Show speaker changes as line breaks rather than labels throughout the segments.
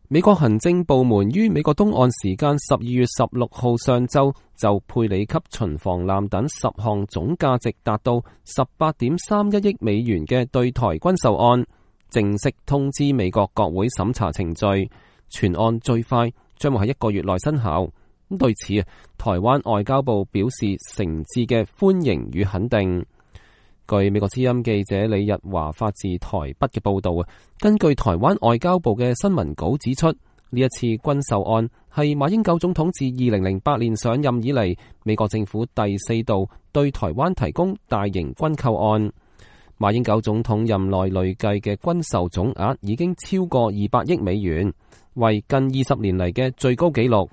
美國行政部門於美國東岸時間12月16號上晝就佩里級巡防艦等10項總價值達到18.31億美元嘅對台軍售案，正式通知美國國會審查程序，全案最快將會喺1個月內生效。對此，台灣外交部表示誠摯嘅歡迎與肯定。據美國之音記者李日華發自台北嘅報道，根據台灣外交部嘅新聞稿指出，呢一次軍售案係馬英九總統自2008年上任以嚟，美國政府第4度對台灣提供大型軍購案。馬英九總統任內累計嘅軍售總額已經超過200億美元，為近20年嚟嘅最高紀錄。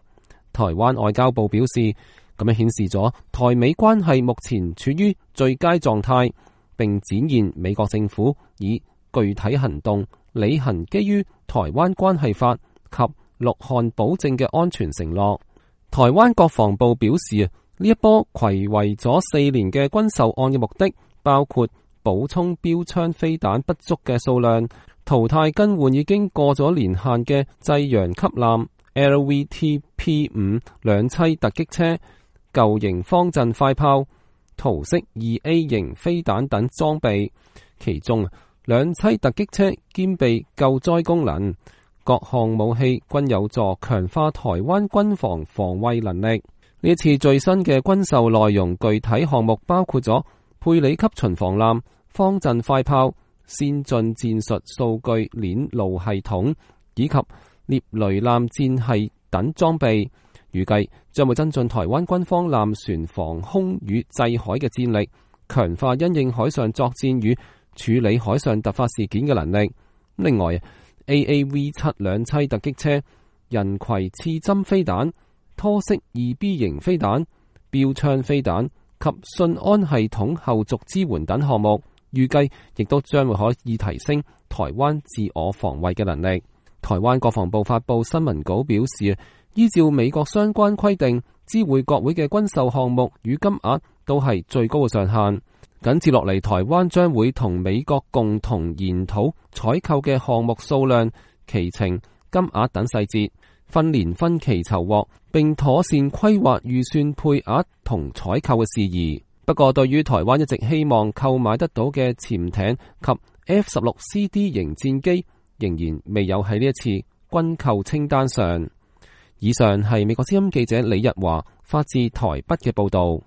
台灣外交部表示，咁樣顯示咗台美關係目前處於最佳狀態，並展現美國政府以具體行動履行基於台灣關係法及6項保證嘅安全承諾。台灣國防部表示，呢一波睽違咗4年嘅軍售案嘅目的，包括補充標槍飛彈不足嘅數量，淘汰更換已經過咗年限嘅濟陽級艦、LVT-P5 兩棲突擊車、舊型方陣快炮、圖式 2A 型飛彈等裝備。其中兩棲突擊車兼備救災功能，各項武器均有助強化台灣軍防防衛能力。呢一次最新嘅軍售內容具體項目包括咗佩里級巡防艦、方陣快炮、先進戰術數據鏈路系統以及獵雷艦戰系等裝備，預計將會增進台灣軍方艦船防空與制海嘅戰力，強化因應海上作戰與處理海上突發事件嘅能力。另外，AAV7 兩棲突擊車、人攜刺針飛彈、拖式 2B 型飛彈、標槍飛彈及信安系統後續支援等項目，預計亦都將會可以提升台灣自我防衛嘅能力。台灣國防部發布新聞稿表示，依照美國相關規定，知會國會嘅軍售項目與金額都係最高嘅上限。緊接落嚟，台灣將會同美國共同研討採購嘅項目數量、期程、金額等細節，分年分期籌獲，並妥善規劃預算配額同採購嘅事宜。不過，對於台灣一直希望購買得到嘅潛艇及 F-16CD 型戰機，仍然未有喺呢一次軍購清單上。以上係美國之音記者李日華發自台北嘅報道。